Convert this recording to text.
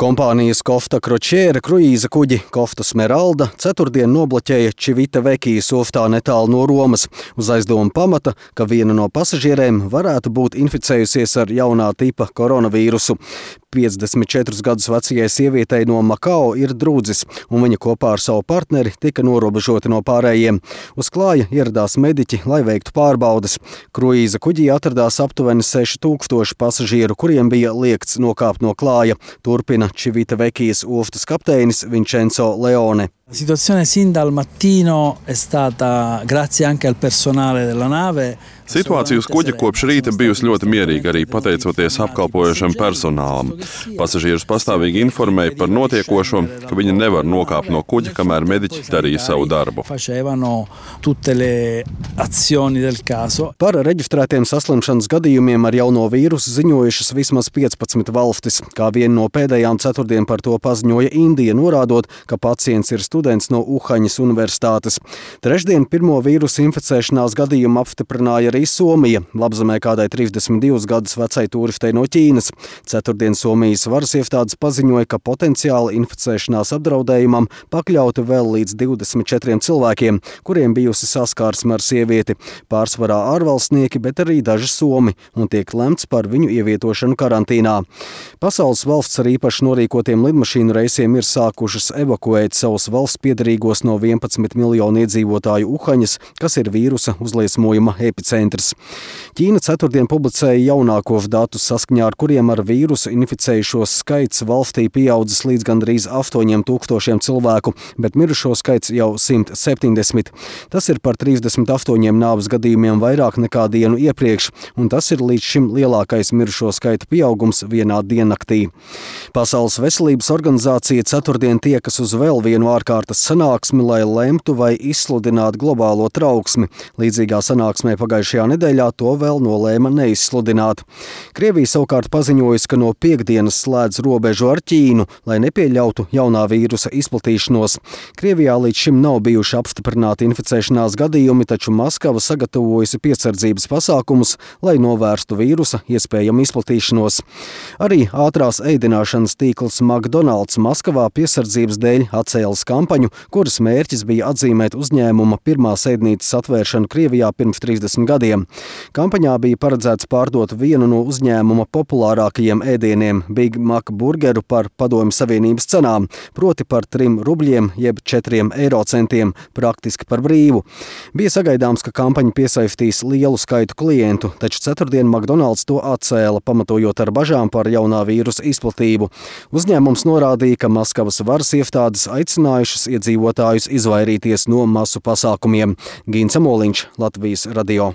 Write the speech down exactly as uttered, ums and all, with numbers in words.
Kompānijas Kofta Kročēra kruīza kuģi Kofta Smeralda ceturtdien nobloķēja Čivita Vekijas ostā netālu no Romas uz aizdomu pamata, ka viena no pasažierēm varētu būt inficējusies ar jaunā tipa koronavīrusu. piecdesmit četrus gadus vecajai sievietei no Makao ir drūdzis, un viņa kopā ar savu partneri tika norobežoti no pārējiem. Uz klāja ieradās mediķi, lai veiktu pārbaudes. Kruīza kuģī atradās aptuveni seši tūkstoši pasažieru, kuriem bija liegts nokāpt no klāja, turpina Čivita Vekijas ostas kapteinis Vincenzo Leone. La situazione sin dal mattino è stata, grazie anche al personale della nave. Situācija uz kuģa kopš rīta bijusi ļoti mierīga, arī pateicoties apkalpojošam personālam. Pasažierus pastāvīgi informēja par notiekošo, ka viņi nevar nokāpt no kuģa, kamēr mediķi darīja savu darbu. Par reģistrētiem saslimšanas gadījumiem ar jauno vīrusu ziņojušas vismaz piecpadsmit valstis. Kā viena no pēdējām ceturtdien par to paziņoja Indija, norādot, ka pacients ir students no Uhaņas universitātes. Trešdien pirmo vīrusu inficēšanās gadījumu apstiprināja arī Somija, labzemē kādai trīsdesmit divus gadus vecai turistei no Ķīnas. Ceturtdien Somijas varas iestādes paziņoja, ka potenciāli inficēšanās apdraudējumam pakļauti vēl līdz divdesmit četriem cilvēkiem, kuriem bijusi saskarsme ar sievieti. Pārsvarā ārvalstnieki, bet arī daži somi, un tiek lemts par viņu ievietošanu karantīnā. Pasaules valsts ar īpaši norīkotiem lidmašīnu reisiem ir sākušas evakuēt savus valsts piederīgos no vienpadsmit miljonu iedzīvotāju Uhaņas, kas ir vīrusa uzliesmojuma epicentrs. Ķīna ceturtdien publicēja jaunākos datus, saskaņā ar kuriem ar vīrusu inficējušos skaits valstī pieaudzis līdz gandrīz astoņiem tūkstošiem cilvēku, bet mirušo skaits jau simt septiņdesmit. Tas ir par trīsdesmit astoņiem nāves gadījumiem vairāk nekā dienu iepriekš, un tas ir līdz šim lielākais mirušo skaita pieaugums vienā diennaktī. Pasaules veselības organizācija ceturtdien tiekas uz vēl vienu ārkārtas sanāksmi, lai lemtu vai izsludinātu globālo trauksmi. Līdzīgā sanāksmē pagājušajā nedēļā to vēl nolēma neizsludināt. Krievija savukārt paziņojusi, ka no piekdienas slēdz robežu ar Ķīnu, lai nepieļautu jaunā vīrusa izplatīšanos. Krievijā līdz šim nav bijuši apstiprināti inficēšanās gadījumi, taču Maskava sagatavojusi piesardzības pasākumus, lai novērstu vīrusa iespējamu izplatīšanos. Arī ātrās ēdināšanas tīkls McDonald's Maskavā piesardzības dēļ atcēlis kampaņu, kuras mērķis bija atzīmēt uzņēmuma pirmās ēdnīcas atvēršanu Krievijā pirms trīsdesmit gadiem. Kampaņā bija paredzēts pārdot vienu no uzņēmuma populārākajiem ēdieniem – Big Mac burgeru par Padomju Savienības cenām, proti par trim rubļiem jeb četriem eiro centiem, praktiski par brīvu. Bija sagaidāms, ka kampaņa piesaistīs lielu skaitu klientu, taču ceturtdien McDonald's to atcēla, pamatojot ar bažām par jaunā vīrusa izplatību. Uzņēmums norādīja, ka Maskavas varas iestādes aicinājušas iedzīvotājus izvairīties no masu pasākumiem. Gins Amoliņš, Latvijas radio.